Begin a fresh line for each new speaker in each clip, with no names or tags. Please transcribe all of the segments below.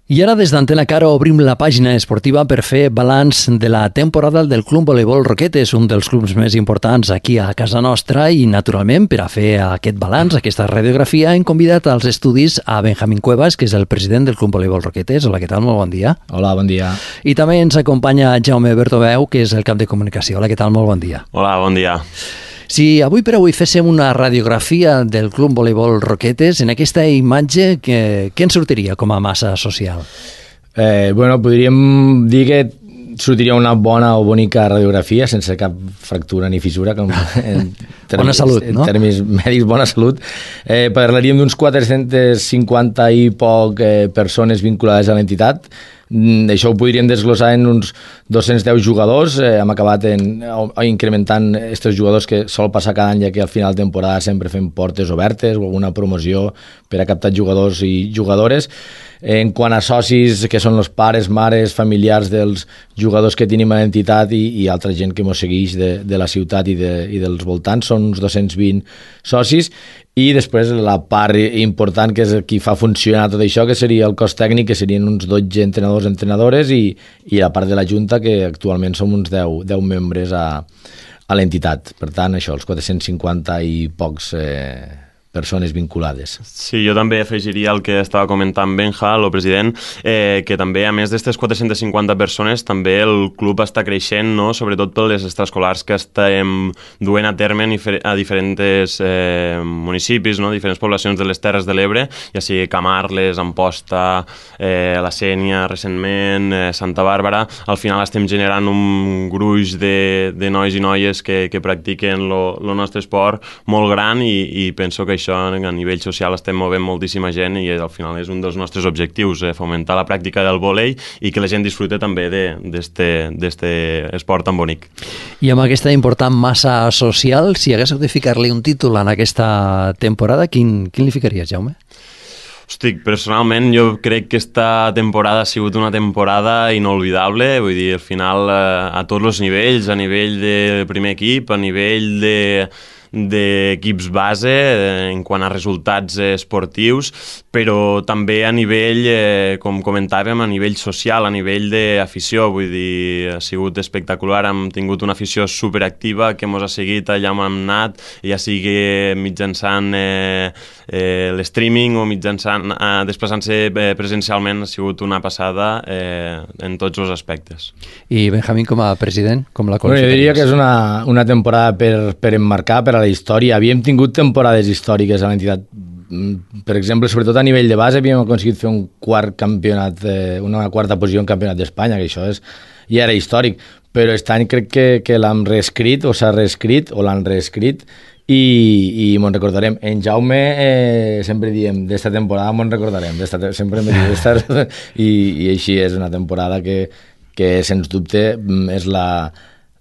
I ara des d'Antena Cara obrim la pàgina esportiva per fer balanç de la temporada del Club Voleibol Roquetes, un dels clubs més importants aquí a casa nostra, i naturalment per a fer aquest balanç, aquesta radiografia, hem convidat als estudis a Benjamín Cuevas, que és el president del Club Voleibol Roquetes. Hola, què tal? Molt bon dia.
Hola, bon dia.
I també ens acompanya Jaume Bertomeu, que és el cap de comunicació. Hola, què tal? Molt bon dia.
Hola, bon dia.
Si avui per avui féssim una radiografia del Club Voleibol Roquetes, en aquesta imatge, què ens sortiria com a massa social?
Podríem dir que sortiria una bona o bonica radiografia, sense cap fractura ni fissura.
Bona salut, no?
En termes mèdics, bona salut. Parlaríem d'uns 450 i poc persones vinculades a l'entitat. Això ho podríem desglossar en uns 210 jugadors. Hem acabat incrementant aquests jugadors que sol passar cada any, ja que al final de temporada sempre fem portes obertes o alguna promoció per a captar jugadors i jugadores. En quant a socis, que són els pares, mares, familiars dels jugadors que tenim a l'entitat i altra gent que ens segueix de la ciutat i dels voltants, són uns 220 socis. I després la part important, que és qui fa funcionar tot això, que seria el cos tècnic, que serien uns 12 entrenadors, entrenadores, i la part de la Junta, que actualment som uns 10 membres a l'entitat. Per tant, això, els 450 i pocs persones vinculades.
Sí, jo també afegiria el que estava comentant Benja, el president, que també, a més d'aquestes 450 persones, també el club està creixent, no? Sobretot per les extraescolars que estem duent a terme a diferents municipis, no? Diferents poblacions de les Terres de l'Ebre, ja sigui Camarles, Amposta, la Sénia recentment, Santa Bàrbara. Al final estem generant un gruix de nois i noies que practiquen el nostre esport molt gran i penso que això a nivell social estem movent moltíssima gent i al final és un dels nostres objectius, fomentar la pràctica del vòlei i que la gent disfrute també d'este esport tan bonic.
I amb aquesta important massa social, si haguéssiu de ficar-li un títol en aquesta temporada, quin li ficaries, Jaume?
Hosti, personalment jo crec que esta temporada ha sigut una temporada inolvidable, vull dir, al final a tots els nivells, a nivell de primer equip, a nivell d'equips base en quant a resultats esportius, però també a nivell, com comentàvem, a nivell social, a nivell d'afició. Vull dir, ha sigut espectacular, hem tingut una afició superactiva que ens ha seguit allà on hem anat, ja sigui mitjançant l'streaming o mitjançant desplaçant-se presencialment. Ha sigut una passada en tots els aspectes.
I Benjamín, com a president, com la
qualificaries? Jo diria que és una temporada per emmarcar, per a la història. Havíem tingut temporades històriques a l'entitat. Per exemple, sobretot a nivell de base, havíem aconseguit fer un quart campionat, una quarta posició en campionat d'Espanya, que això ja era històric, però aquest any crec que l'hem reescrit, o s'ha reescrit, o l'han reescrit, i me'n recordarem. En Jaume sempre diem, d'esta temporada me'n recordarem, sempre em diu i així és una temporada que sens dubte és la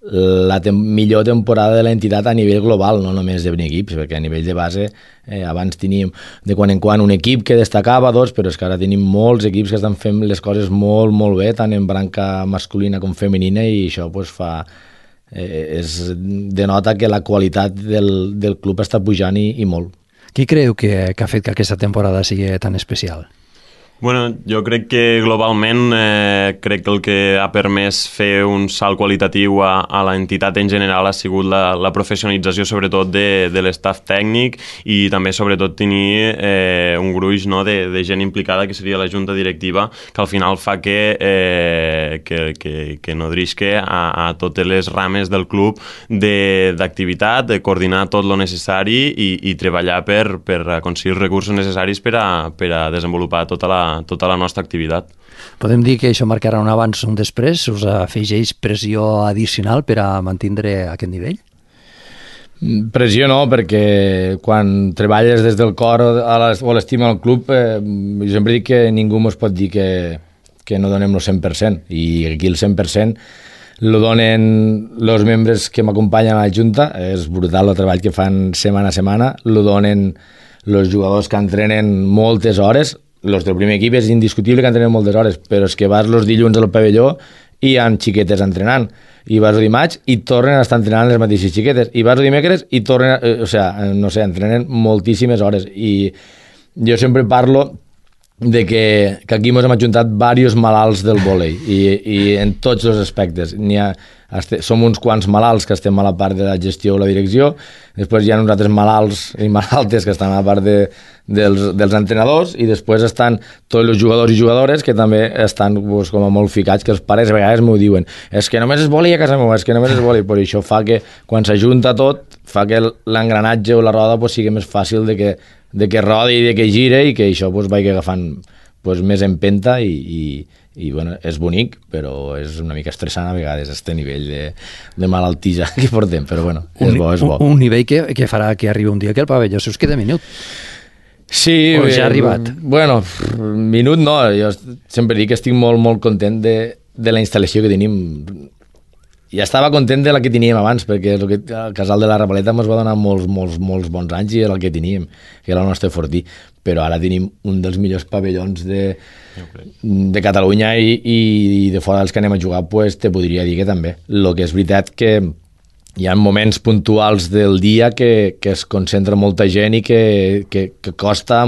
millor temporada de l'entitat a nivell global, no només de equips, perquè a nivell de base abans teníem de quan en quan un equip que destacava, però és que ara tenim molts equips que estan fent les coses molt, molt bé, tant en branca masculina com femenina, i això denota que la qualitat del club està pujant i molt.
Què creu que ha fet que aquesta temporada sigui tan especial?
Bueno, jo crec que globalment crec que el que ha permès fer un salt qualitatiu a l'entitat en general ha sigut la professionalització sobretot de l'estaf tècnic i també sobretot tenir un gruix, no, de gent implicada, que seria la junta directiva, que al final fa que nodrisque a totes les rames del club d'activitat, de coordinar tot lo necessari i treballar per aconseguir els recursos necessaris per a desenvolupar tota la nostra activitat.
Podem dir que això marcarà un abans o un després? Us afegeix pressió addicional per a mantenir aquest nivell?
Pressió no, perquè quan treballes des del cor o l'estima al club, jo sempre dic que ningú ens pot dir que no donem el 100%, i aquí el 100% lo donen els membres que m'acompanyen a la Junta. És brutal el treball que fan setmana a setmana, lo donen els jugadors que entrenen moltes hores. Els del primer equip és indiscutible que entrenen moltes hores, però és que vas els dilluns al pavelló i hi ha xiquetes entrenant, i vas el dimarts i tornen a estar entrenant les mateixes xiquetes, i vas el dimecres i tornen, entrenen moltíssimes hores. I jo sempre parlo de que aquí ens hem ajuntat diversos malalts del vòlei i en tots els aspectes. Som uns quants malalts que estem a la part de la gestió o la direcció, després hi ha uns altres malalts i malaltes que estan a la part dels entrenadors, i després estan tots els jugadors i jugadores que també estan pues, com a molt ficats, que els pares a vegades m'ho diuen, és que només és vòlei a casa meva, és que només és vòlei, però això fa que quan s'ajunta tot, fa que l'engranatge o la roda pues, sigui més fàcil de que rodi i de que gire i que això pues, vagi agafant pues, més empenta i bueno, és bonic, però és una mica estressant a vegades este nivell de malaltija que portem, però bueno, és bo.
Un nivell que farà que arribi un dia que el pavelló se us queda minut.
Sí,
o ja ha arribat?
Bueno, minut no, jo sempre dic que estic molt, molt content de la instal·lació que tenim. Ja estava content de la que teníem abans, perquè el Casal de la Rapaleta ens va donar molts bons anys i era el que teníem, que era el nostre fortí, però ara tenim un dels millors pavellons de Catalunya i de fora dels que anem a jugar, pues, te podria dir que també. El que és veritat que hi ha moments puntuals del dia que es concentra molta gent i que costa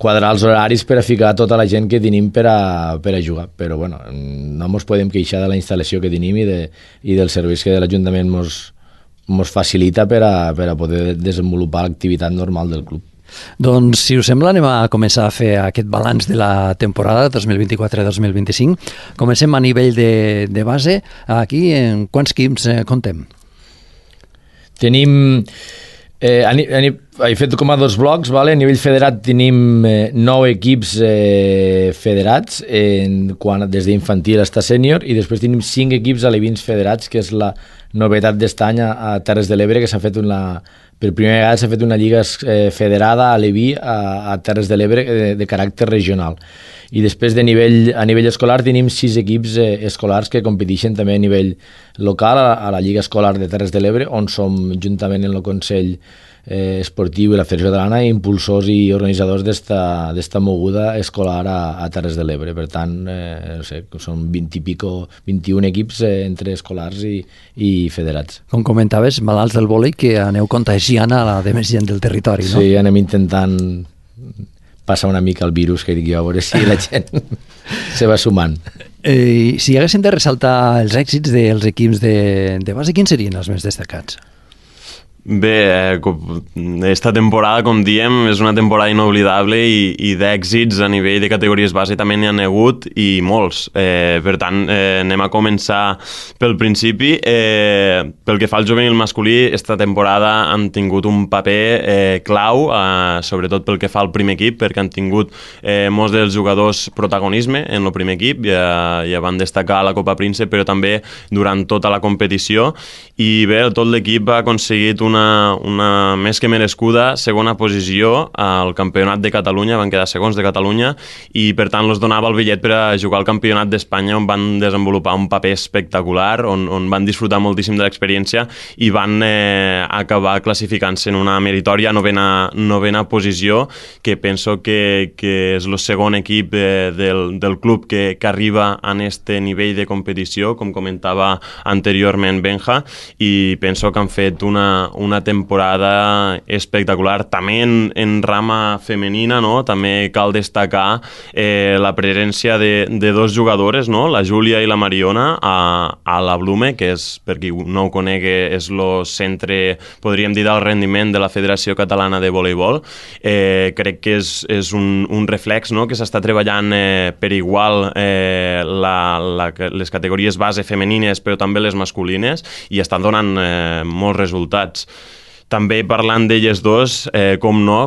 quadrar els horaris per a ficar tota la gent que tenim per a jugar, però bueno, no ens podem queixar de la instal·lació que tenim i dels serveis que l'Ajuntament ens facilita per a poder desenvolupar l'activitat normal del club.
Doncs, si us sembla, anem a començar a fer aquest balanç de la temporada 2024-2025. Comencem a nivell de base. Aquí, en quants equips comptem?
Tenim... he fet com a dos blocs, vale? A nivell federat tenim 9 equips federats, des d'infantil fins a sènior, i després tenim 5 equips alevins federats, que és la novetat d'este any a Terres de l'Ebre, que s'ha fet per primera vegada s'ha fet una lliga federada a aleví a Terres de l'Ebre de caràcter regional. I després a nivell escolar tenim 6 equips escolars que competeixen també a nivell local a la Lliga Escolar de Terres de l'Ebre, on som juntament en el Consell Esportiu i la Federació Catalana impulsors i organitzadors d'esta moguda escolar a Terres de l'Ebre. Per tant, no sé, són 21 equips entre escolars i federats.
Com comentaves, malalts del vòlei, que aneu contagiant a la de més gent del territori, no?
Sí, anem intentant passar una mica el virus, que dic jo, a veure si la gent se va sumant.
Si haguéssim de ressaltar els èxits dels equips de base, quins serien els més destacats?
Bé, esta temporada, com diem, és una temporada inoblidable i d'èxits a nivell de categories base també n'hi ha hagut i molts. Per tant, anem a començar pel principi. Pel que fa al juvenil masculí, esta temporada han tingut un paper clau, sobretot pel que fa al primer equip, perquè han tingut molts dels jugadors protagonisme en el primer equip, ja van destacar a la Copa Príncep, però també durant tota la competició. I bé, tot l'equip ha aconseguit una més que merescuda segona posició al Campionat de Catalunya, van quedar segons de Catalunya, i per tant els donava el bitllet per a jugar al Campionat d'Espanya, on van desenvolupar un paper espectacular, on van disfrutar moltíssim de l'experiència i van acabar classificant-se en una meritòria novena posició, que penso que és el segon equip del club que arriba a este nivell de competició, com comentava anteriorment Benja, i penso que han fet una temporada espectacular. També en rama femenina, no? També cal destacar la presència de dos jugadores, no? La Júlia i la Mariona a la Blume, que és, per qui no ho conegui, és el centre, podríem dir, del rendiment de la Federació Catalana de Voleibol. Crec que és un reflex, no? Que s'està treballant per igual les categories base femenines, però també les masculines, i estan donant molts resultats. També parlant d'elles dos, com no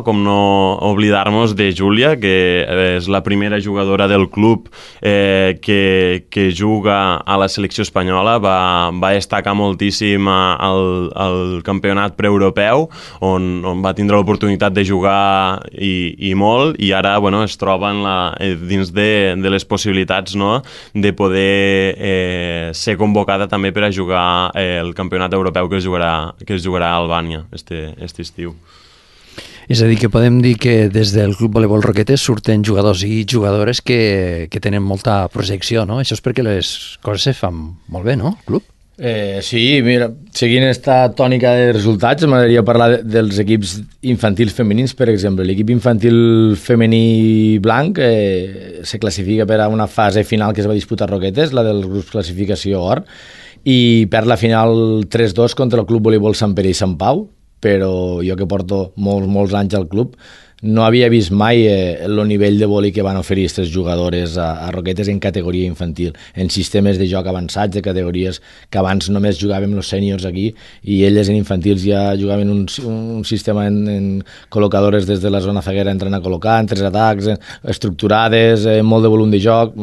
oblidar-nos de Júlia, que és la primera jugadora del club que juga a la selecció espanyola, va destacar moltíssim al campionat preeuropeu, on va tindre l'oportunitat de jugar i molt, i ara es troba dins de les possibilitats, no?, de poder ser convocada també per a jugar el campionat europeu que es jugarà a Albània este estiu.
És a dir, que podem dir que des del Club Voleibol Roquetes surten jugadors i jugadores que tenen molta projecció, no? Això és perquè les coses se fan molt bé, no, club?
Sí, mira, seguint esta tònica de resultats, m'agradaria parlar dels equips infantils femenins, per exemple. L'equip infantil femení blanc se classifica per a una fase final que es va disputar a Roquetes, la dels grups classificació or, i perd la final 3-2 contra el Club Voleibol Sant Pere i Sant Pau, però jo que porto molts anys al club no havia vist mai el nivell de vòlei que van oferir aquestes jugadores a Roquetes en categoria infantil, en sistemes de joc avançats, de categories que abans només jugàvem els sèniors aquí i elles en infantils ja jugaven un sistema en col·locadores des de la zona zaguera entrant a col·locar, en 3 atacs, estructurades, molt de volum de joc,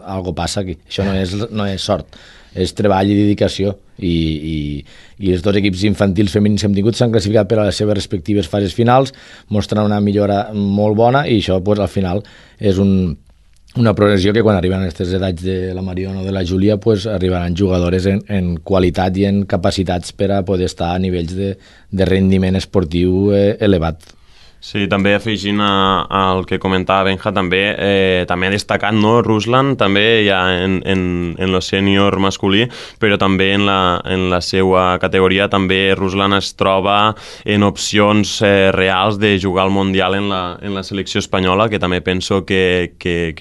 algo passa aquí. Això no és sort, és treball i dedicació i els dos equips infantils femenins que hem tingut s'han classificat per a les seves respectives fases finals, mostrant una millora molt bona i això pues, al final és una progressió que quan arriben a aquestes edats de la Mariona o de la Júlia pues, arribaran jugadores en qualitat i en capacitats per a poder estar a nivells de rendiment esportiu elevat.
Sí, també afegint al que comentava Benja, també ha destacat, no, Ruslan, també ja en el sènior masculí, però també en la seva categoria també Ruslan es troba en opcions reals de jugar al Mundial en la selecció espanyola, que també penso que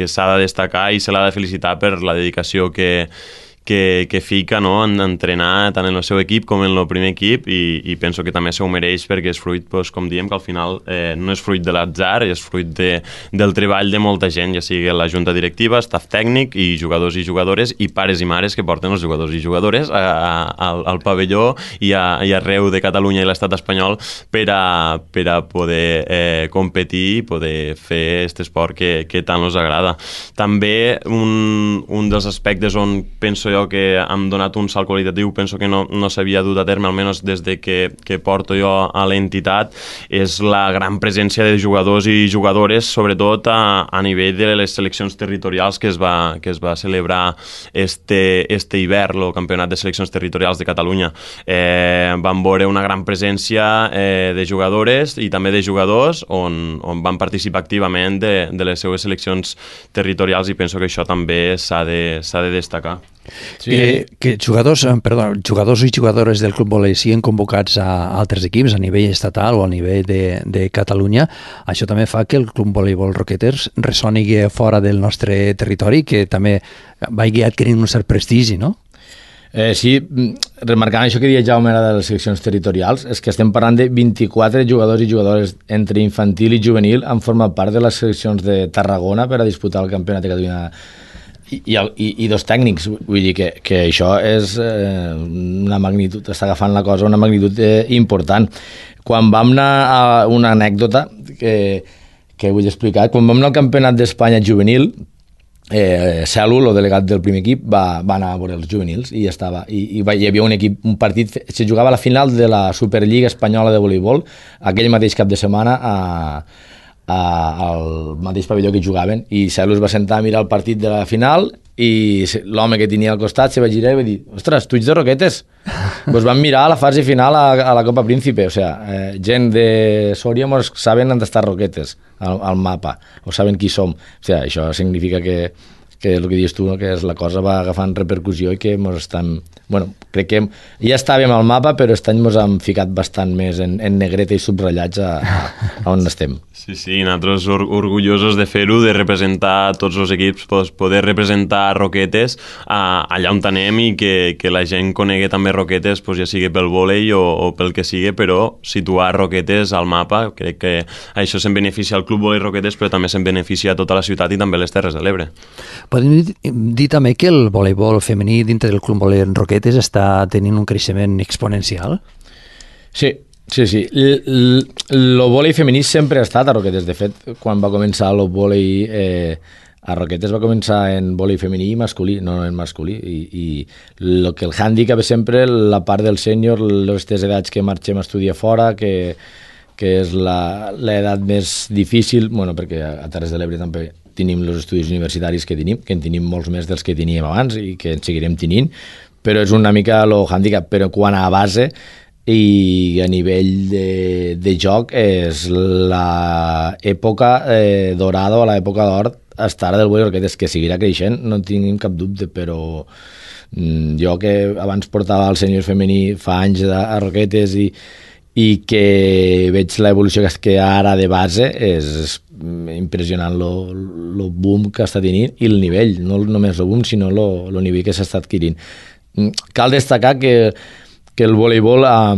s'ha de destacar i se l'ha de felicitar per la dedicació que fica, no, en entrenar tant en el seu equip com en el primer equip i penso que també s'ho mereix perquè és fruit, doncs, com diem, que al final no és fruit de l'atzar, és fruit del treball de molta gent, ja sigui la junta directiva, staff tècnic i jugadors i jugadores i pares i mares que porten els jugadors i jugadores al pavelló i arreu de Catalunya i l'estat espanyol per a poder competir i poder fer aquest esport que tant els agrada. També un dels aspectes on penso jo que hem donat un salt qualitatiu, penso que no s'havia dut a terme, almenys des de que porto jo a l'entitat, és la gran presència de jugadors i jugadores, sobretot a nivell de les seleccions territorials que es va celebrar este hivern, el Campionat de Seleccions Territorials de Catalunya. Vam veure una gran presència de jugadores i també de jugadors on van participar activament de les seues seleccions territorials i penso que això també s'ha de destacar.
Sí. Que jugadors i jugadores del Club Volei siguin convocats a altres equips a nivell estatal o a nivell de Catalunya, això també fa que el Club Voleibol Roquetes ressoni fora del nostre territori, que també vagi adquirint un cert prestigi, no?
Sí, remarcant això que deia Jaume de les seleccions territorials, és que estem parlant de 24 jugadors i jugadores entre infantil i juvenil han format part de les seleccions de Tarragona per a disputar el Campionat de Catalunya i dos tècnics, vull dir que això és una magnitud, està agafant la cosa una magnitud important. Quan vam anar a una anècdota que vull explicar, quan vam anar al Campionat d'Espanya juvenil, Cèl·lul, el delegat del primer equip, va anar a veure els juvenils i hi havia un partit, se jugava a la final de la Superliga Espanyola de Voleibol aquell mateix cap de setmana al mateix pavelló que jugaven i Cèl·lul es va sentar a mirar el partit de la final i l'home que tenia al costat se va girar i va dir, ostres, tu ets de Roquetes? Doncs van mirar a la fase final a la Copa Príncipe, o sea, gent de Sòria mos saben on està Roquetes al mapa, o saben qui som, o sea, això significa que el que dius tu, no? Que la cosa va agafant repercussió i que mos estan... Bueno, crec que ja estàvem al mapa, però aquest any mos hem ficat bastant més en negreta i subratllats a on estem.
Sí, nosaltres orgullosos de fer-ho, de representar tots els equips, poder representar Roquetes allà on anem i que la gent conegui també Roquetes, ja sigui pel vòlei o pel que sigui, però situar Roquetes al mapa, crec que això se'n beneficia al Club Vòlei Roquetes, però també se'n beneficia a tota la ciutat i també les Terres de l'Ebre.
Podem dir també que el voleibol femení dintre del Club Vòlei Roquetes està tenint un creixement exponencial?
Sí. El vòlei femení sempre ha estat a Roquetes. De fet, quan va començar el vòlei a Roquetes va començar en vòlei femení i masculí, no en masculí. I el hàndicap és sempre la part del sènior, les edats que marxem a estudiar fora, que és l'edat més difícil, bueno, perquè a Terres de l'Ebre també tenim els estudis universitaris que en tenim molts més dels que teníem abans i que en seguirem tenint, però és una mica el hàndicap. Però quan a base i a nivell de joc és l'època dorada o l'època d'or hasta ara del vòlei Roquetes, que seguirà creixent, no en tinguin cap dubte, però jo que abans portava el sènior femení fa anys a Roquetes i que veig l'evolució que hi ha ara de base, és impressionant el boom que està tenint i el nivell, no només el boom, sinó el nivell que s'està adquirint. Cal destacar que el voleibol a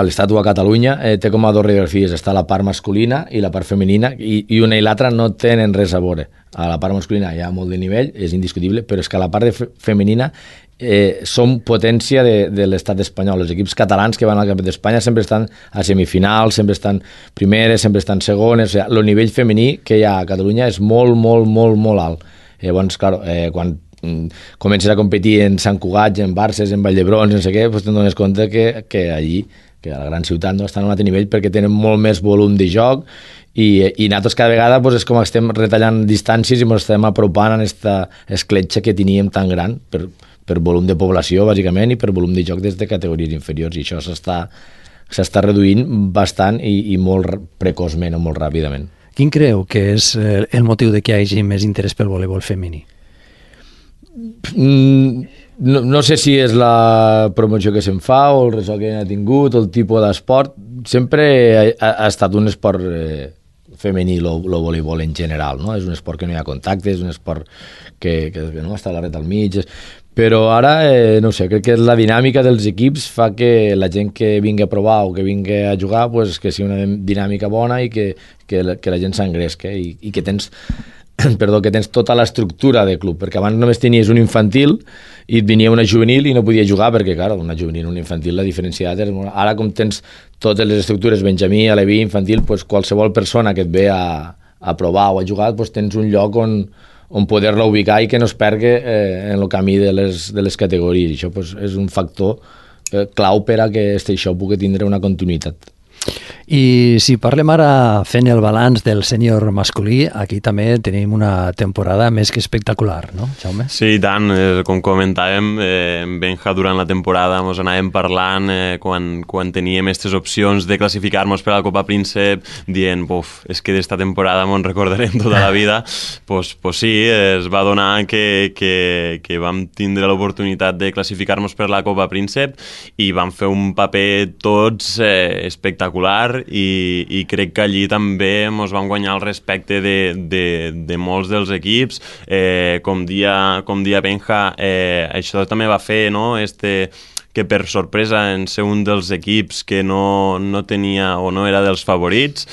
l'Estat o a Catalunya té com a dos radiografies, està la part masculina i la part femenina, i una i l'altra no tenen res a veure. A la part masculina hi ha molt de nivell, és indiscutible, però és que a la part femenina som potència de l'estat espanyol. Els equips catalans que van al Campionat d'Espanya sempre estan a semifinals, sempre estan primeres, sempre estan segones. O sigui, el nivell femení que hi ha a Catalunya és molt, molt, molt, molt alt. Llavors, clar, quan comences a competir en Sant Cugat, en Barces, en Valldebrons, no sé què, doncs te'n dones compte que allí, que a la gran ciutat, no, estan a un altre nivell perquè tenen molt més volum de joc i nosaltres cada vegada és com estem retallant distàncies i ens estem apropant a aquesta escletxa que teníem tan gran per volum de població, bàsicament, i per volum de joc des de categories inferiors, i això s'està reduint bastant i molt precoçment o molt ràpidament.
Quin creu que és el motiu de que hi hagi més interès pel voleibol femení?
No sé si és la promoció que se'n fa o el ressò que ha tingut o el tipus d'esport. Sempre ha estat un esport femení el voleibol en general, no? És un esport que no hi ha contacte, és un esport que no està la ret al mig, però ara, no sé, crec que la dinàmica dels equips fa que la gent que vingui a provar o que vingui a jugar, pues, que sigui una dinàmica bona i que la gent s'engresca i que tens que tens tota l'estructura de club, perquè abans només tenies un infantil i et venia una juvenil i no podia jugar perquè, clar, una juvenil i un infantil la diferenciat és molt... Ara, com tens totes les estructures, benjamí, aleví, infantil, pues, qualsevol persona que et ve a provar o a jugar, pues, tens un lloc on poder-la ubicar i que no es perdi en el camí de les categories. I això, pues, és un factor clau per a que això pugui tindre una continuïtat.
I si parlem ara fent el balanç del sènior masculí, aquí també tenim una temporada més que espectacular, no, Jaume?
Sí, i tant. Com comentàvem, Benja durant la temporada ens anàvem parlant quan teníem aquestes opcions de classificar-nos per a la Copa Príncep, dient, és que d'esta temporada ens recordarem tota la vida. Pues sí, es va donar que vam tindre l'oportunitat de classificar-nos per la Copa Príncep i vam fer un paper tots espectacular i crec que allí també ens vam guanyar el respecte de molts dels equips. Com dia Benja, això també va fer, no?, que per sorpresa en ser un dels equips que no tenia o no era dels favorits,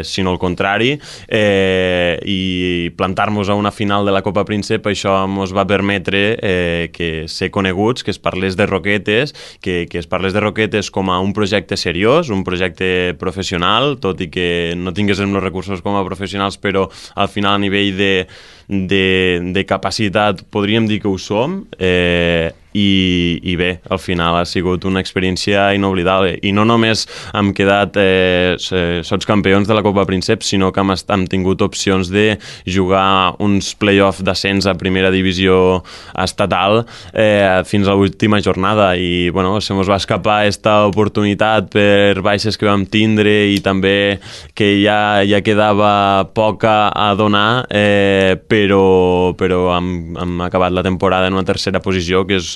sinó al contrari, i plantar-nos a una final de la Copa Príncep, això ens va permetre que ser coneguts, que es parlés de Roquetes, que es parlés de Roquetes com a un projecte seriós, un projecte professional, tot i que no tinguéssim els recursos com a professionals, però al final a nivell de capacitat podríem dir que ho som, i bé, al final ha sigut una experiència inoblidable i no només hem quedat sots campions de la Copa Príncep, sinó que hem tingut opcions de jugar uns play-off d'ascens a primera divisió estatal fins a l'última jornada i bueno, se mos va escapar aquesta oportunitat per baixes que vam tindre i també que ja quedava poca a donar, però hem acabat la temporada en una tercera posició que és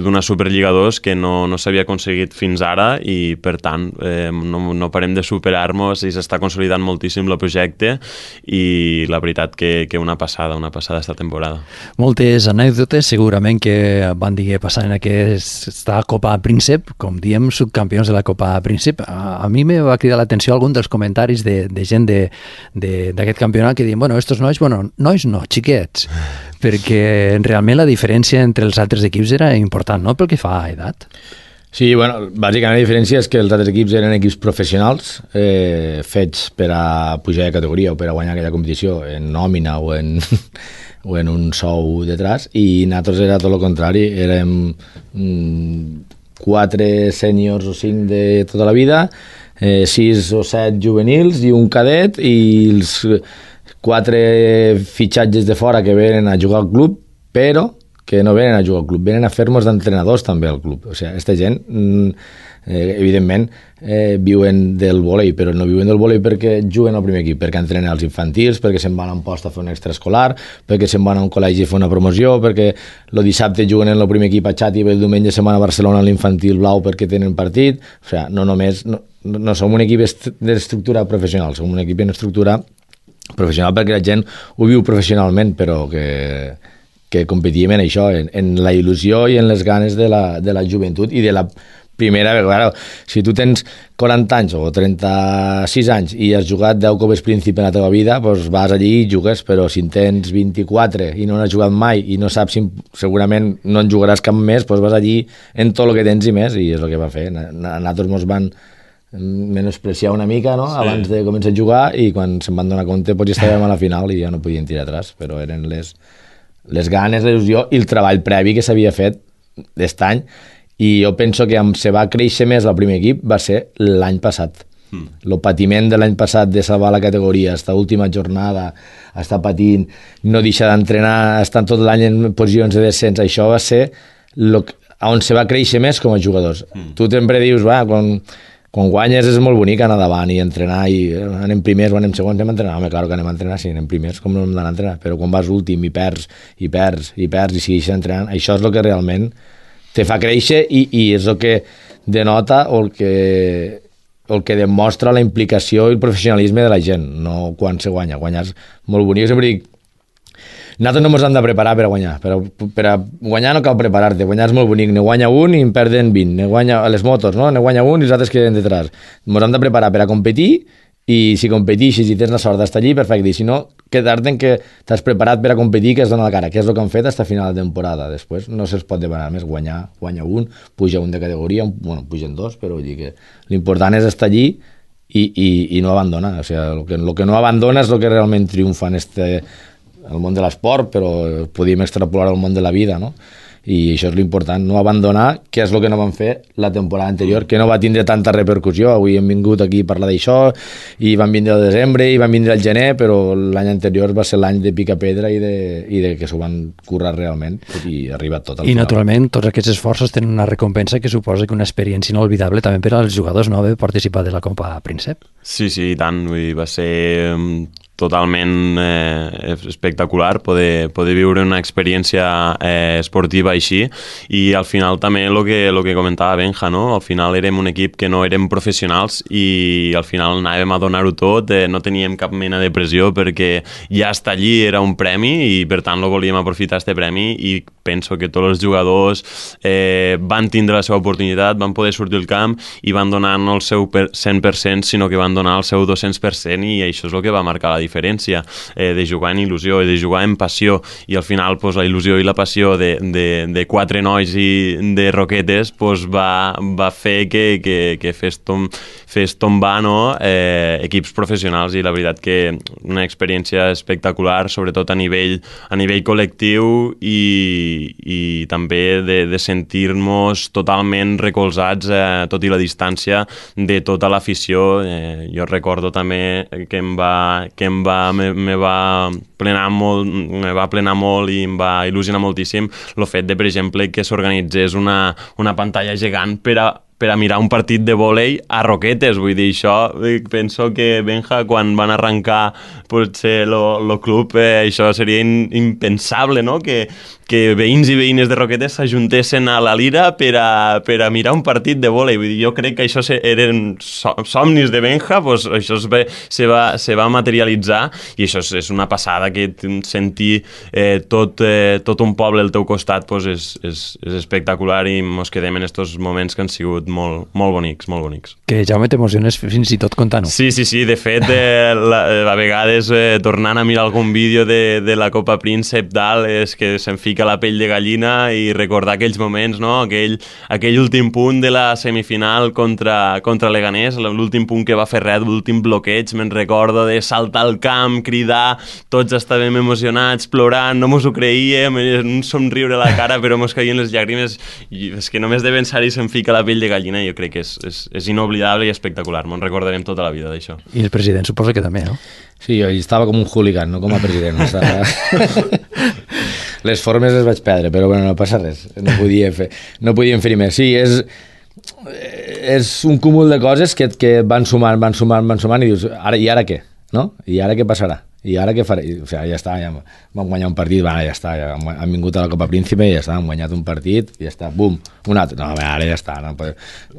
d'una Superliga 2 que no s'havia aconseguit fins ara i per tant no parem de superar-nos i s'està consolidant moltíssim el projecte i la veritat que una passada esta temporada.
Moltes anècdotes segurament que van dir passar en aquesta Copa Príncep, com diem, subcampions de la Copa Príncep. A mi me va cridar l'atenció algun dels comentaris de gent d'aquest campionat que diuen, estos nois no, xiquets, perquè realment la diferència entre els altres equips era important, no?, pel que fa a edat.
Sí, bàsicament la diferència és que els altres equips eren equips professionals fets per a pujar de categoria o per a guanyar aquella competició en nòmina o en un sou detrás, i nosaltres era tot el contrari, érem 4 sèniors o 5 de tota la vida, 6 o 7 juvenils i un cadet, i els 4 fitxatges de fora que venen a jugar al club, però que no venen a jugar al club, venen a fer-nos d'entrenadors també al club. O sigui, aquesta gent, evidentment, viuen del vòlei, però no viuen del vòlei perquè juguen al primer equip, perquè entrenen als infantils, perquè se'n van a un post a fer un extraescolar, perquè se'n van a un col·legi a fer una promoció, perquè el dissabte juguen en el primer equip a Xàtiva i el diumenge se'n van a Barcelona a l'infantil blau perquè tenen partit. O sigui, no només... No som un equip d'estructura professional, som un equip en estructura professional perquè la gent ho viu professionalment, però que competíem en això, en la il·lusió i en les ganes de la joventut i de la primera vegada. Si tu tens 40 anys o 36 anys i has jugat 10 Copes Príncipe en la teva vida, doncs vas allí i jugues, però si en tens 24 i no n'has jugat mai i no saps si segurament no en jugaràs cap més, doncs vas allí en tot el que tens i més, i és el que va fer. A nosaltres ens van menospreciar una mica, no? Sí. Abans de començar a jugar, i quan se'n van donar compte doncs ja estàvem a la final i ja no podien tirar atrás, però eren les ganes, la il·lusió i el treball previ que s'havia fet aquest any. I jo penso que se va créixer més el primer equip va ser l'any passat. El patiment de l'any passat de salvar la categoria, esta última jornada, estar patint, no deixar d'entrenar, estar tot l'any en posicions de descens, això va ser on se va créixer més com a jugadors. Tu sempre dius, quan guanyes és molt bonic anar davant i entrenar, i anem primers o anem segons, anem a entrenar. Home, clar que anem a entrenar, sí, anem primers, com no hem d'anar a entrenar, però quan vas últim i perds, i segueixes entrenant, això és el que realment te fa créixer i és el que denota o el que demostra la implicació i el professionalisme de la gent, no quan se guanya. Guanyar és molt bonic. Jo sempre dic, nosaltres no ens hem de preparar per a guanyar. Per a guanyar no cal preparar-te. Guanyar és molt bonic. Ne guanya un i en perden 20. Ne guanya a les motos, no? Ne guanya un i els altres queden detrás. Ens hem de preparar per a competir, i si competixis i tens la sort d'estar allí, perfecte. I si no, quedar-te en que t'has preparat per a competir, que has donat la cara, que és el que han fet fins a final de temporada. Després no se'ls pot demanar més. Guanya un, puja un de categoria, pugen dos, però vull dir que l'important és estar allí i no abandonar. O sigui, el que no abandona és el que realment triomfa en el món de l'esport, però podíem extrapolar al món de la vida, no? I això és l'important, no abandonar, que és el que no van fer la temporada anterior, que no va tindre tanta repercussió. Avui hem vingut aquí a parlar d'això, i van vindre al desembre, i van vindre al gener, però l'any anterior va ser l'any de picar pedra i de que s'ho van currar realment, i ha arribat tot al final.
I naturalment tots aquests esforços tenen una recompensa que suposa que una experiència inolvidable també per als jugadors, no?, haver participat de la Copa Príncep.
Sí, i tant, va ser totalment espectacular poder viure una experiència esportiva així, i al final també el que comentava Benja, no? Al final érem un equip que no érem professionals i al final anàvem a donar-ho tot, no teníem cap mena de pressió perquè ja estar allí era un premi i per tant volíem aprofitar aquest premi, i penso que tots els jugadors van tindre la seva oportunitat, van poder sortir al camp i van donar no el seu 100%, sinó que van donar el seu 200%, i això és el que va marcar la diferència, de jugar en il·lusió i de jugar en passió. I al final la il·lusió i la passió de 4 nois i de Roquetes va fer que fes tombar, no, equips professionals, i la veritat que una experiència espectacular, sobretot a nivell col·lectiu, i també de sentir-nos totalment recolzats, tot i la distància de tota l'afició. Jo recordo també que me va plenar molt i em va il·lusionar moltíssim el fet de, per exemple, que s'organitzés una pantalla gegant per a mirar un partit de vòlei a Roquetes. Vull dir, això penso que, Benja, quan van arrencar potser el club, això seria impensable, no?, que veïns i veïnes de Roquetes s'ajuntessin a la Lira per a mirar un partit de vòlei. Vull dir, jo crec que això eren somnis de Benja, doncs això se va materialitzar, i això és una passada, que sentir tot un poble al teu costat és espectacular, i ens quedem en aquests moments que han sigut molt bonics, molt bonics.
Que, Jaume, t'emociones fins i tot contant-ho.
Sí, de fet, a vegades tornant a mirar algun vídeo de la Copa Príncep, és que se'm fica la pell de gallina, i recordar aquells moments, no? Aquell últim punt de la semifinal contra Leganés, l'últim punt que va fer res, l'últim bloqueig, me'n recordo de saltar al camp, cridar, tots estàvem emocionats, plorant, no mos ho creíem, un somriure a la cara, però mos caien les llàgrimes, i és que només de pensar-hi se'm fica la pell de gallina, i jo crec que és inoblidable i espectacular, me'n recordarem tota la vida d'això.
I el president suposa que també, no?
Sí, jo estava com un hooligan, no com a president. les formes les vaig perdre, però bueno, no passa res, no podíem fer més. Sí, és un cúmul de coses que van sumant i dius, i ara què? No? I ara què passarà? I ara què faré? O sigui, ja està, ja vam guanyar un partit, ja està, ja han vingut a la Copa Príncipe i ja està, han guanyat un partit i ja està, bum, un altre. No, ara ja està, no?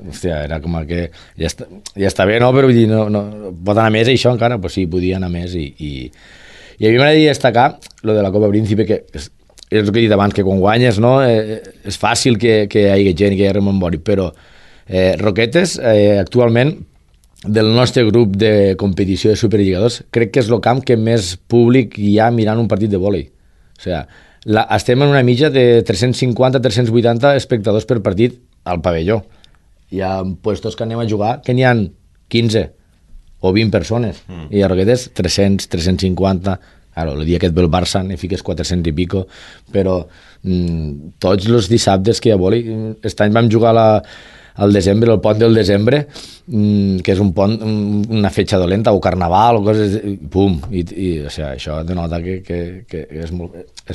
Hòstia, era com que ja està bé, no? Però vull dir, no, pot anar més això encara? Pues sí, podia anar més i a mi m'agradaria destacar lo de la Copa Príncipe, que és el que he dit abans, que quan guanyes, no? És fàcil que hi hagi gent, que hi hagi remembori, però Roquetes, actualment, del nostre grup de competició de superlligadors, crec que és el camp que més públic hi ha mirant un partit de vòlei. O sigui, estem en una mitja de 350-380 espectadors per partit al pavelló. Hi ha puestos que anem a jugar que n'hi ha 15 o 20 persones, i a Roquetes 300, 350... Claro, el dia que et ve el Barça ne fiques 400 i pico, però tots els dissabtes que hi ha vòlei, aquest any vam jugar al desembre, el pont del desembre, que és un pont, una fetge dolenta, o carnaval, o coses, pum, i o sigui, això denota que és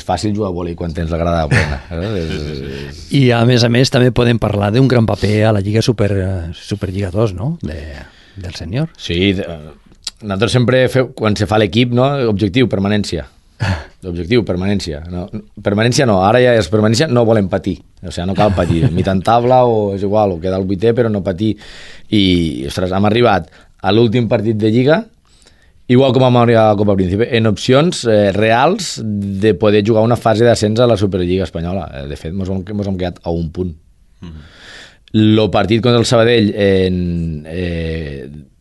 fàcil jugar a vòlei quan tens la grada plena.
I a més també podem parlar d'un gran paper a la Lliga Superlligadors, no?, del senyor.
Sí, nosaltres sempre quan se fa l'equip, no? Objectiu, permanència. L'objectiu, permanència. No, permanència no, ara ja és permanència, no volem patir. O sigui, no cal patir. Mitant taula o és igual, o quedar al 8è, però no patir. I, ostres, hem arribat a l'últim partit de Lliga, igual com vam arribar a la Copa Príncipe, en opcions reals de poder jugar una fase d'ascens a la Superliga espanyola. De fet, mos hem quedat a un punt. El partit contra el Sabadell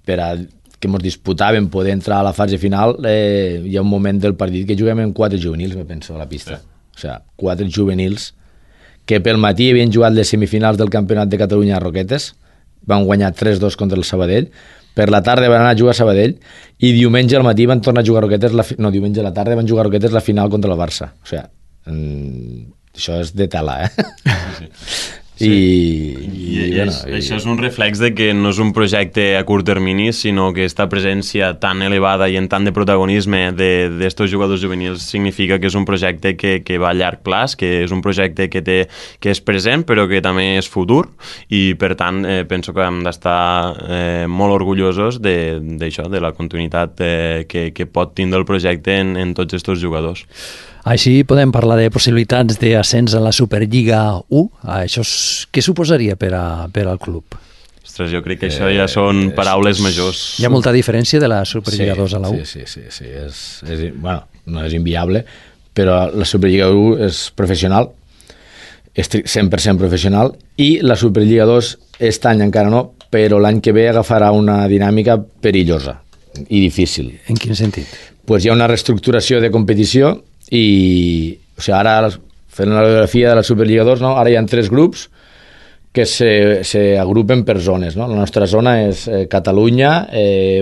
per a que ens disputàvem poder entrar a la fase final, hi ha un moment del partit que juguem amb 4 juvenils, me penso, a la pista. O sigui, 4 juvenils que pel matí havien jugat les semifinals del Campionat de Catalunya a Roquetes, van guanyar 3-2 contra el Sabadell, per la tarda van anar a jugar a Sabadell i diumenge al matí van tornar a jugar a Roquetes, diumenge a la tarda van jugar a Roquetes la final contra el Barça. O sigui, això és de tela,
Sí. Sí.
Bueno,
això és un reflex de que no és un projecte a curt termini, sinó que aquesta presència tan elevada i en tant de protagonisme d'estos jugadors juvenils significa que és un projecte que va a llarg plaç, que és un projecte que és present però que també és futur, i per tant penso que hem d'estar molt orgullosos d'això, de la continuïtat que pot tindre el projecte en tots estos jugadors.
Així podem parlar de possibilitats d'ascens a la Superliga 1. Això què suposaria per al club?
Ostres, jo crec que això ja són paraules majors.
Hi ha molta diferència de la Superliga 2 a la 1?
Sí. Bueno, no és inviable, però la Superliga 1 és professional, és 100% professional, i la Superliga 2 aquest any encara no, però l'any que ve agafarà una dinàmica perillosa i difícil.
En quin sentit?
Pues hi ha una reestructuració de competició i, o sigui, ara fent la radiografia de la Superliga 2, no? Ara hi ha 3 grups que s'agrupen per zones, no? La nostra zona és Catalunya,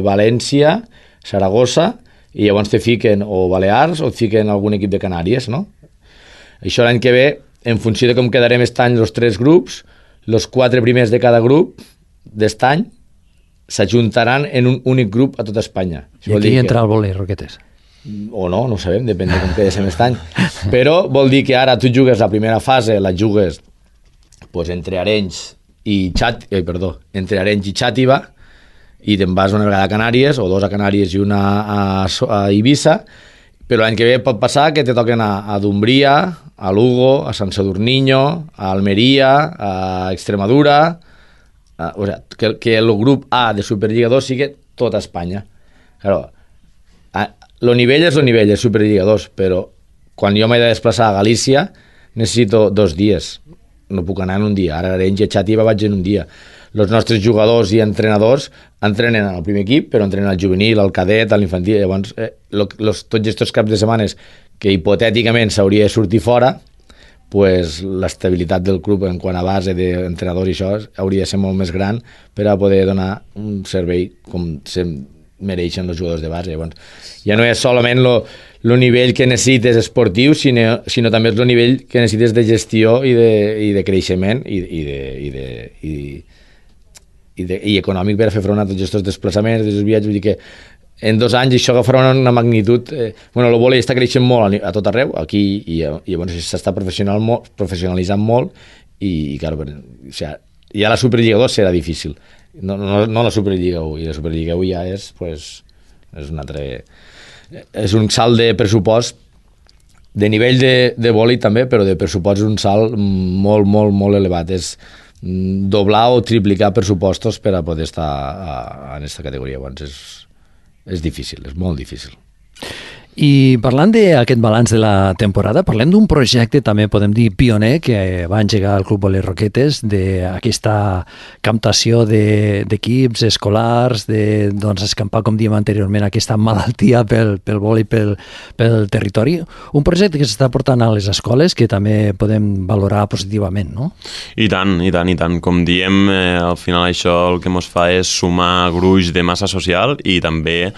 València, Saragossa, i llavors te fiquen o Balears o et fiquen algun equip de Canàries, no? Això l'any que ve, en funció de com quedarem aquest any els 3 grups, els 4 primers de cada grup d'est any s'ajuntaran en un únic grup a tota Espanya.
I aquí entra el vòlei, Roquetes?
O no ho sabem, depèn de com quedéssim aquest any. Però vol dir que ara tu jugues la primera fase, la jugues pues, entre Arenys i Xàtiva, i te'n vas una vegada a Canàries, o 2 a Canàries i una a Eivissa, però l'any que ve pot passar que te toquen a Dumbria, a Lugo, a Sant Sadurniño, a Almeria, a Extremadura, o sigui, que el grup A de Superliga 2 sigui tota Espanya. Claro, el nivell és el nivell de Superliga 2, però quan jo m'he de desplaçar a Galícia necessito 2 dies. No puc anar en un dia. Ara a Arenys i a Xàtiva vaig en un dia. Els nostres jugadors i entrenadors entrenen al primer equip, però entrenen al juvenil, al cadet, a l'infantil. Llavors, tots aquests caps de setmanes que hipotèticament s'hauria de sortir fora, pues, l'estabilitat del club en quant a base d'entrenadors i això hauria de ser molt més gran per a poder donar un servei com mereixen els jugadors de base. Llavors, ja no és solament el nivell que necessites esportiu, sinó també és el nivell que necessites de gestió i de creixement i econòmic per a fer front a tots aquests desplaçaments, aquests viatges. Vull dir que en 2 anys això agafarà una magnitud... Bueno, el vòlei està creixent molt a tot arreu, aquí, i llavors s'està professionalitzant molt, i clar, o sigui, ja la Superliga 2 serà difícil, no la Superliga 1, i la Superliga 1 ja és, pues, és un altre... És un salt de pressupost, de nivell de vòlei també, però de pressupost és un salt molt, molt, molt elevat, és doblar o triplicar pressupostos per a poder estar en aquesta categoria. Llavors és difícil, és molt difícil.
I parlant d'aquest balanç de la temporada, parlem d'un projecte també, podem dir, pioner, que va engegar el Club Vòlei Roquetes, d'aquesta captació d'equips escolars, de escampar, com diem anteriorment, aquesta malaltia pel vòlei, pel territori. Un projecte que s'està portant a les escoles que també podem valorar positivament, no?
I tant, i tant, i tant. Com diem, al final això el que ens fa és sumar gruix de massa social i també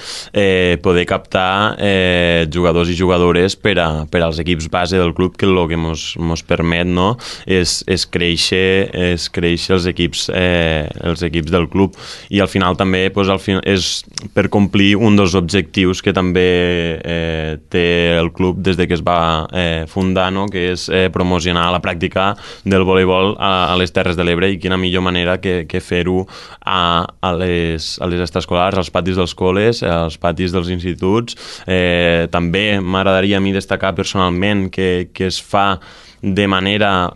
poder captar jugadors i jugadores per als equips base del club, que el que ens permet, no, és créixer els equips del club, i al final també és per complir un dels objectius que també té el club des de que es va fundar, no, que és promocionar la pràctica del voleibol a les Terres de l'Ebre, i quina millor manera que fer-ho a les extraescolars, als patis dels col·les, als patis dels instituts. També m'agradaria a mi destacar personalment que es fa de manera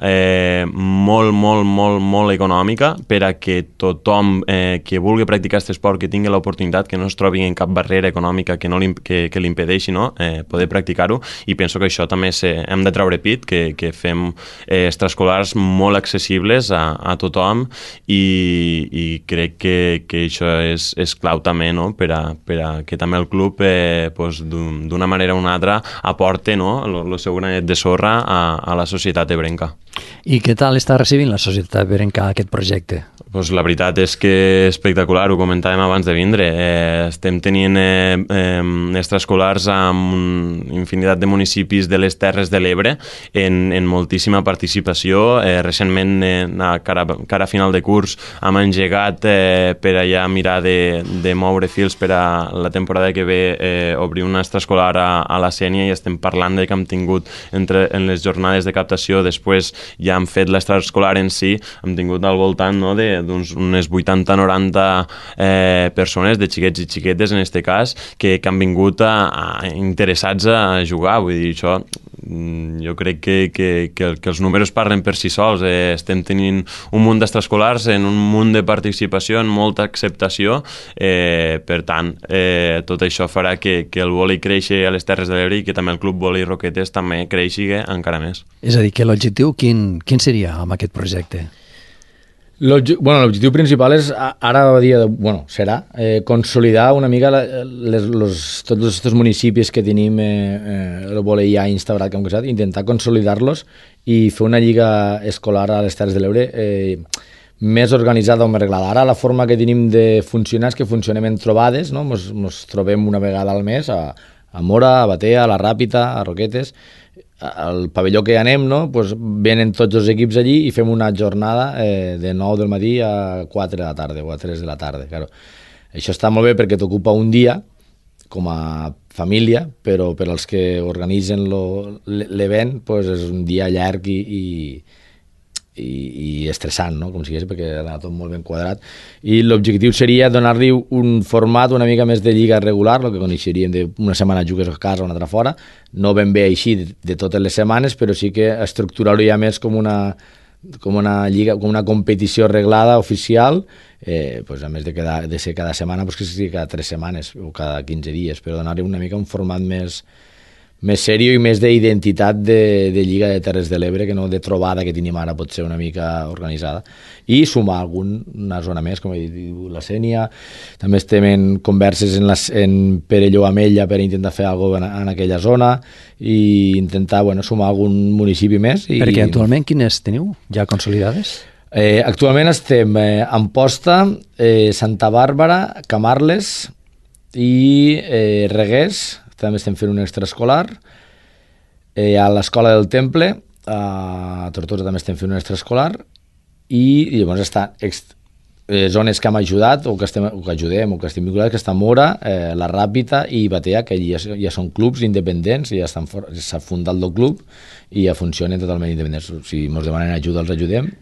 molt, molt, molt, molt econòmica, per a que tothom que vulgui practicar aquest esport, que tingui l'oportunitat, que no es trobi en cap barrera econòmica que l'impedeixi, no, poder practicar-ho. I penso que això també hem de treure pit, que fem extraescolars molt accessibles a tothom, i crec que això és clau també, no, per a que també el club d'una manera o una altra aporte, no, el seu granet de sorra a la societat ebrenca.
I què tal està recibint la societat ebrenca aquest projecte?
Pues la veritat és que espectacular, ho comentàvem abans de vindre. Estem tenint extraescolars amb infinitat de municipis de les Terres de l'Ebre en moltíssima participació. Recentment, a cara final de curs, hem engegat per allà mirar de moure fils per a la temporada que ve obrir una extraescolar a la Sénia, i estem parlant de que hem tingut en les jornades de captació, després ja hem fet l'extraescolar en si, hem tingut al voltant, no, d'unes 80-90 persones, de xiquets i xiquetes en aquest cas, que han vingut interessats a jugar. Vull dir, això jo crec que els números parlen per si sols. Estem tenint un munt d'extraescolars en un munt de participació, en molta acceptació, per tant, tot això farà que el vòlei creixi a les Terres de l'Ebre, i que també el Club Vòlei Roquetes també creixi encara més.
És a dir, que l'objectiu quin seria amb aquest projecte?
L'objectiu principal és, ara serà consolidar una mica tots aquests municipis que tenim el vòlei ja instaurat, intentar consolidar-los i fer una lliga escolar a les Terres de l'Ebre més organitzada o més reglada. Ara la forma que tenim de funcionar és que funcionem en trobades, no? Ens trobem una vegada al mes a Mora, a Batea, a la Ràpita, a Roquetes. Al pavelló que anem, no, pues venen tots els equips allí i fem una jornada de 9 del matí a 4 de la tarda o a 3 de la tarda. Claro. Això està molt bé perquè t'ocupa un dia com a família, però per als que organitzen l'event pues és un dia llarg i estressant, no? Com si digués, perquè era tot molt ben quadrat. I l'objectiu seria donar-li un format una mica més de lliga regular, el que coneixeríem d'una setmana jugues a casa o una altra fora, no ben bé així de totes les setmanes, però sí que estructurar-ho ja més com una lliga, com una competició reglada, oficial, pues a més de ser cada setmana, pues que sigui cada 3 setmanes o cada 15 dies, però donar-li una mica un format més sèrio i més d'identitat de Lliga de Terres de l'Ebre, que no de trobada que tenim ara, pot ser una mica organitzada, i sumar alguna zona més, com he dit, la Sénia. També estem en converses en Perelló Amella per intentar fer alguna cosa en aquella zona i intentar sumar algun municipi més.
Perquè actualment quines teniu ja consolidades?
Actualment estem a Amposta, Santa Bàrbara, Camarles i Reguers. També estem fent un extraescolar. A l'Escola del Temple, a Tortosa també estem fent un extraescolar, i llavors zones que hem ajudat o que ajudem o que estem vinculats, que està Mora, la Ràpita i Batea, que ja són clubs independents, ja s'ha fundat el club i ja funcionen totalment independents. Si ens demanen ajuda els ajudem,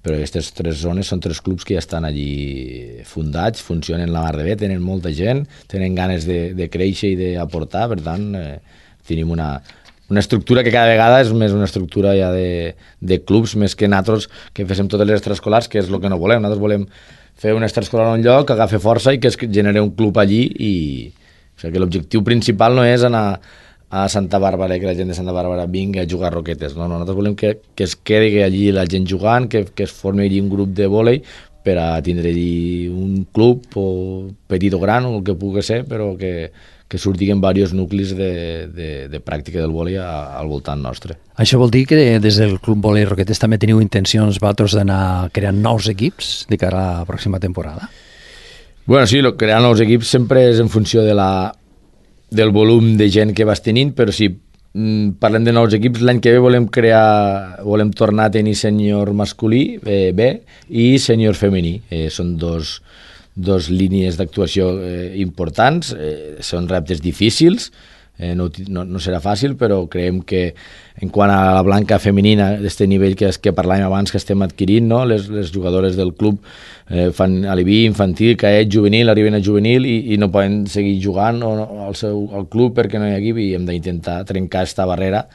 però aquestes 3 zones són 3 clubs que ja estan allí fundats, funcionen la mar de bé, tenen molta gent, tenen ganes de créixer i d'aportar, per tant tenim una estructura que cada vegada és més una estructura ja de clubs, més que nosaltres que féssim totes les extraescolars, que és el que no volem. Nosaltres volem fer una extraescolar en un lloc, que agafi força i que es generi un club allí. O sigui que l'objectiu principal no és anar a Santa Bàrbara i que la gent de Santa Bàrbara vingui a jugar a roquetes. No, nosaltres volem que es quedi allí la gent jugant, que es formi allí un grup de vòlei per a tindre allí un club o petit o gran, o el que pugui ser, però que surtin diversos nuclis de pràctica del vòlei al voltant nostre.
Això vol dir que des del Club Vòlei Roquetes també teniu intencions vosaltres d'anar creant nous equips de cara a la pròxima temporada?
Bueno, sí, crear nous equips sempre és en funció del volum de gent que vas tenint, però si parlem de nous equips, l'any que ve volem tornar a tenir sènior masculí B i sènior femení. Són dos línies d'actuació importants, són reptes difícils, no serà fàcil, però creiem que en quant a la blanca femenina, d'aquest nivell que parlàvem abans que estem adquirint, no? les jugadores del club fan alibi infantil, caet, juvenil, arriben a juvenil i no poden seguir jugant al club perquè no hi ha equip, i hem d'intentar trencar aquesta barrera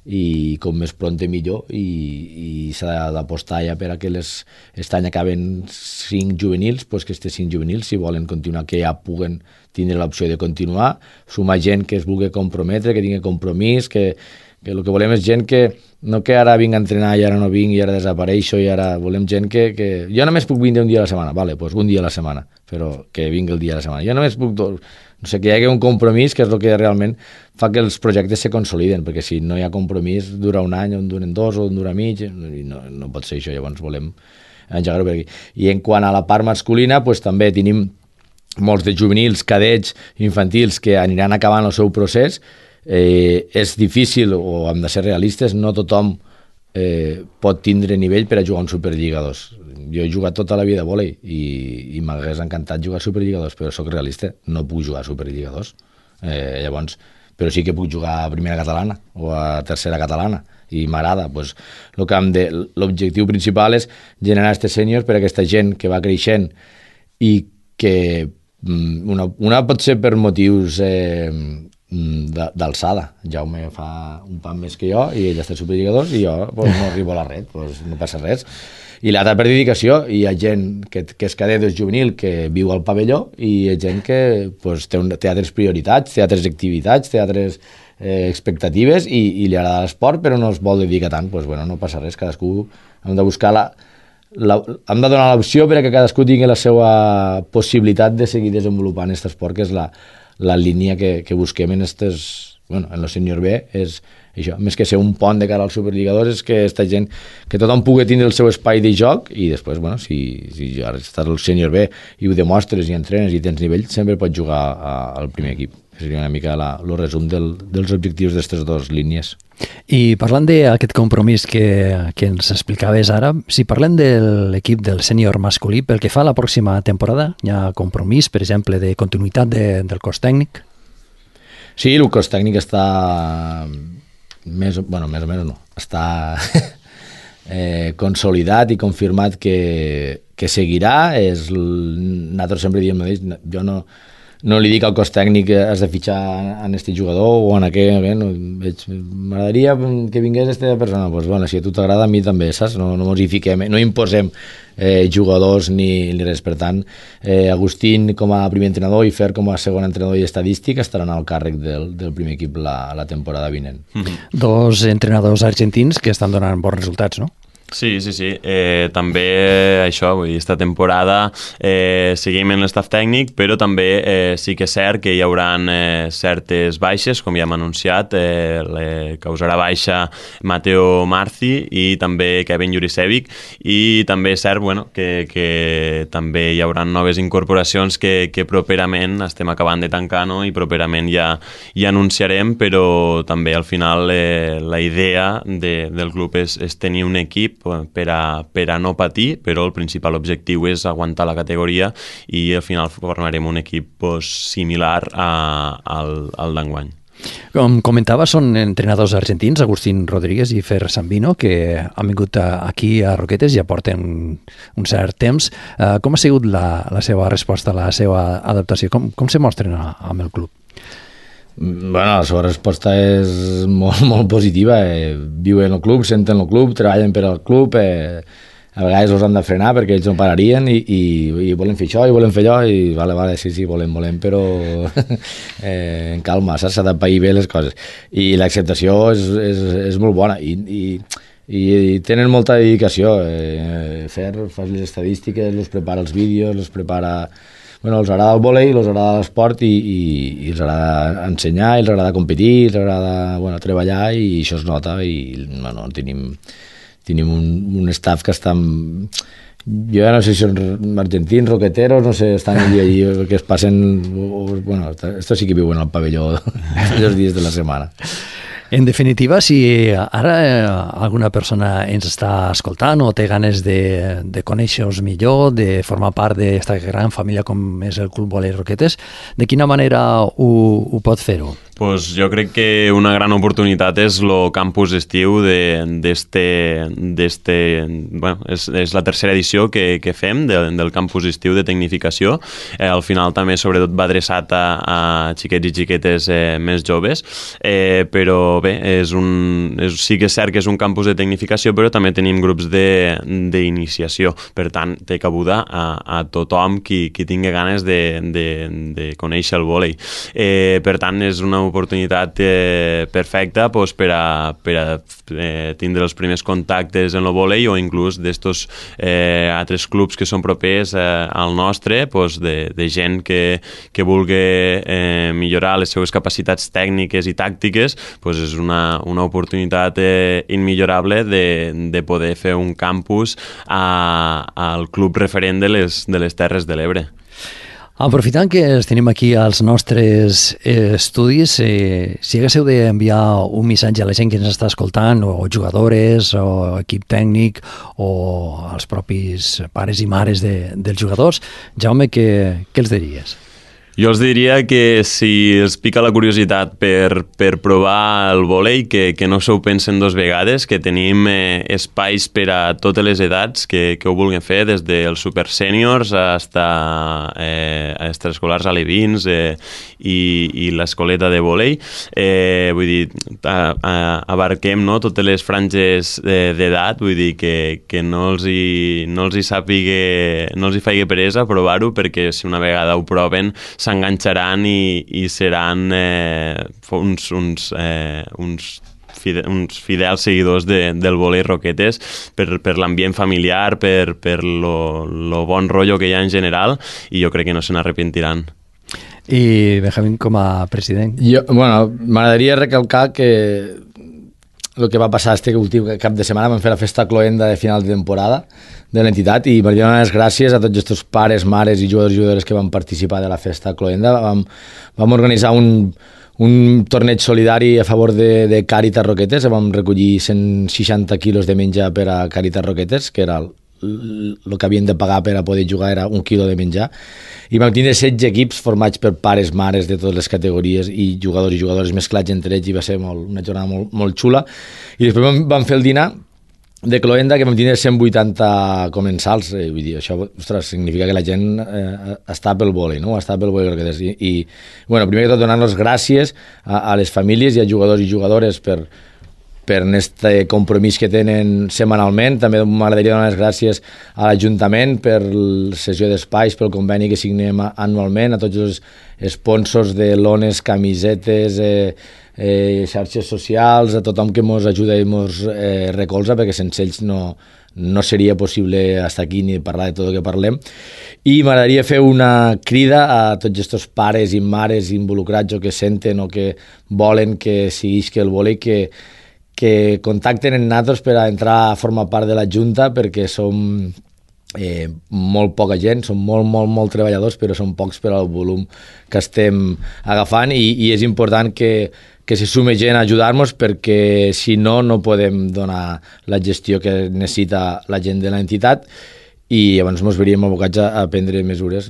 i com més pronte millor, i s'ha d'apostar ja per a que aquest any acaben 5 juvenils, doncs que aquests 5 juvenils, si volen continuar, que ja puguen tindre l'opció de continuar, sumar gent que es vulgui comprometre, que tingui compromís, que el que volem és gent que no que ara vinc a entrenar i ara no vinc i ara desapareixo, i ara volem gent que jo només puc vindre un dia a la setmana, vale, doncs un dia a la setmana, però que vingui el dia a la setmana. Jo només puc dos, no sé, que hi hagi un compromís, que és el que realment fa que els projectes se consoliden, perquè si no hi ha compromís dura un any, o en duren 2 o en dura mig, i no pot ser això. Llavors volem engegar-ho per aquí. I en quant a la part masculina, doncs també tenim molts de juvenils, cadets, infantils que aniran acabant el seu procés. És difícil, o hem de ser realistes, no tothom pot tindre nivell per a jugar un Superliga 2. Jo he jugat tota la vida a vòlei i m'hagués encantat jugar a Superliga 2, però sóc realista, no puc jugar a Superliga 2. Llavors, però sí que puc jugar a primera catalana o a tercera catalana, i m'agrada. Doncs, l'objectiu principal és generar aquests sèniors per a aquesta gent que va creixent i que una pot ser per motius d'alçada. Jaume fa un pan més que jo i ell està a Superliga 2 i jo no arribo a la red, no passa res. I l'altra per dedicació, hi ha gent que és cadet o és juvenil que viu al pavelló, i hi ha gent que té altres prioritats, té altres activitats, té altres expectatives i li agrada l'esport però no es vol dedicar tant. No passa res, cadascú hem de buscar hem de donar l'opció perquè cadascú tingui la seva possibilitat de seguir desenvolupant aquest esport, que és la línia que busquem en el sènior B. És això, més que ser un pont de cara al Superliga 2, és que aquesta gent, que tothom pugui tindre el seu espai de joc, i després, si ara estàs al sènior B i ho demostres i entrenes i tens nivell, sempre pots jugar al primer equip. Seria una mica el resum dels objectius d'aquestes dues línies.
I parlant d'aquest compromís que ens explicaves ara, si parlem de l'equip del sènior masculí, pel que fa a la pròxima temporada, hi ha compromís, per exemple, de continuïtat del cos tècnic?
Sí, el cos tècnic està més o menys no, està consolidat i confirmat que seguirà. Nosaltres sempre diem mateix, jo no li dic al cos tècnic que has de fitxar en aquest jugador o en aquell, m'agradaria que vingués aquesta persona. Si a tu t'agrada, a mi també, saps? No ens hi fiquem, no imposem jugadors ni res. Per tant, Agustín com a primer entrenador i Fer com a segon entrenador i estadístic estaran al càrrec del primer equip la temporada vinent.
Dos entrenadors argentins que estan donant bons resultats, no?
Sí. També això, aquesta temporada seguim en l'estaf tècnic, però també sí que és cert que hi haurà certes baixes, com ja hem anunciat, causarà baixa Mateo Marci i també Kevin Jurisevic, i també és cert que també hi haurà noves incorporacions que properament estem acabant de tancar, no? I properament ja anunciarem, però també al final la idea del club és tenir un equip per a no patir, però el principal objectiu és aguantar la categoria i al final formarem un equip similar al d'enguany.
Com comentava, són entrenadors argentins, Agustín Rodríguez i Fer Sambino, que han vingut aquí a Roquetes i ja porten un cert temps. Com ha sigut la seva resposta, la seva adaptació? Com se mostren amb el club?
Bueno, la seva resposta és molt, molt positiva. Viuen el club, senten el club, treballen per al club, a vegades els han de frenar perquè ells no pararien i volen fer això i volen fer allò i vale, sí, volem, però en calma, s'ha de pair bé les coses. I l'acceptació és molt bona i tenen molta dedicació. Fas les estadístiques, els prepara els vídeos, els prepara... Bueno, els agrada el vòlei, els agrada l'esport i els agrada ensenyar, els agrada competir, els agrada treballar i això es nota i bueno, tenim un staff que està... Jo ja no sé si són argentins, roqueteros, no sé, estan allí que es passen... Bueno, esto sí que viuen al pavelló els dies de la setmana.
En definitiva, si ara alguna persona ens està escoltant o té ganes de conèixer-vos millor, de formar part d'aquesta gran família com és el Club Vòlei Roquetes, de quina manera ho pot fer-ho?
Pues jo crec que una gran oportunitat és el campus estiu bueno, és la tercera edició que fem del campus estiu de tecnificació. Al final també sobretot va adreçat a xiquets i xiquetes més joves, però bé, sí que és cert que és un campus de tecnificació, però també tenim grups d'iniciació. Per tant, té cabuda a tothom qui tingui ganes de conèixer el vòlei. Per tant, és una oportunitat perfecta per a tindre els primers contactes en el vòlei o inclús d'estos altres clubs que són propers al nostre, de gent que vulgui millorar les seves capacitats tècniques i tàctiques, és una oportunitat immillorable de poder fer un campus al club referent de les Terres de l'Ebre.
Aprofitant que els tenim aquí als nostres estudis, si haguéssiu d'enviar un missatge a la gent que ens està escoltant, o jugadores, o equip tècnic, o als propis pares i mares dels jugadors, Jaume, què els diries?
Jo els diria que si els pica la curiositat per provar el vòlei, que no s'ho pensen dos vegades, que tenim espais per a totes les edats que ho vulguin fer, des dels super sèniors fins a extraescolars alevins i l'escoleta de vòlei. Vull dir, abarquem totes les franges d'edat, vull dir que no els hi faci peresa provar-ho, perquè si una vegada ho proven s'enganxaran i seran uns fidels seguidors del vòlei Roquetes per l'ambient familiar, per lo bon rotllo que hi ha en general, i jo crec que no se n'arrepentiran.
I Benjamín, com a president?
M'agradaria recalcar que el que va passar este últim cap de setmana, vam fer la festa cloenda de final de temporada de l'entitat i m'agradaria donar les gràcies a tots aquests pares, mares i jugadors i jugadores que van participar de la festa cloenda. Vam organitzar un torneig solidari a favor de Càritas Roquetes, vam recollir 160 quilos de menjar per a Càritas Roquetes, que era el que havien de pagar per a poder jugar, era 1 quilo de menjar, i vam tindre 16 equips formats per pares, mares de totes les categories i jugadors mesclats entre ells, i va ser una jornada molt, molt xula. I després vam fer el dinar de cloenda, que vam tindre 180 comensals. Vull dir, això, ostres, significa que la gent està pel vòlei, no? Està pel vòlei Roquetes. I bueno, primer que tot, donar-nos gràcies a les famílies i a jugadors i jugadores per aquest compromís que tenen setmanalment. També m'agradaria donar les gràcies a l'Ajuntament per la cessió d'espais, pel conveni que signem anualment, a tots els sponsors de lones, camisetes, xarxes socials, a tothom que ens ajuda i ens recolza, perquè sense ells no seria possible estar aquí ni parlar de tot el que parlem. I m'agradaria fer una crida a tots aquests pares i mares involucrats o que senten o que volen que seguisca el vòlei, que contacten amb nosaltres per a entrar a formar part de la Junta, perquè som molt poca gent, som molt treballadors, però som pocs per al volum que estem agafant, i és important que que se sume gent a ajudar-nos, perquè si no, no podem donar la gestió que necessita la gent de l'entitat, i llavors ens veuríem abocats a prendre mesures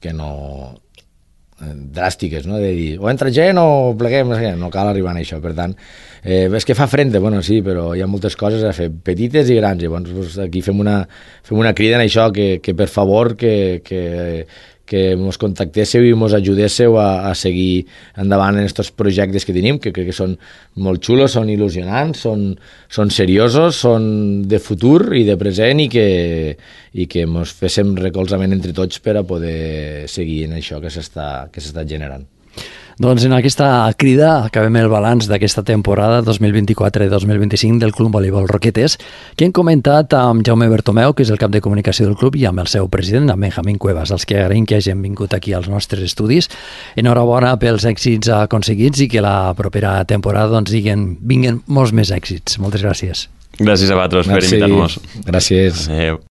que no dràstiques, no? De dir, o entra gent o pleguem, no cal arribar a això. Per tant, és que fa frente, bueno, sí, però hi ha moltes coses a fer, petites i grans. Llavors aquí fem una crida en això, que per favor que ens contactéssiu i ens ajudéssiu a seguir endavant en aquests projectes que tenim, que crec que són molt xulos, són il·lusionants, són seriosos, són de futur i de present, i que ens féssim recolzament entre tots per a poder seguir en això que s'està generant.
Doncs en aquesta crida acabem el balanç d'aquesta temporada 2024-2025 del Club Voleibol Roquetes, que hem comentat amb Jaume Bertomeu, que és el cap de comunicació del club, i amb el seu president, amb Benjamín Cuevas, els que agraïm que hagin vingut aquí als nostres estudis. Enhorabona pels èxits aconseguits i que la propera temporada vinguen molts més èxits. Moltes gràcies.
Gràcies a vosaltres per invitar-nos.
Gràcies.
Adéu.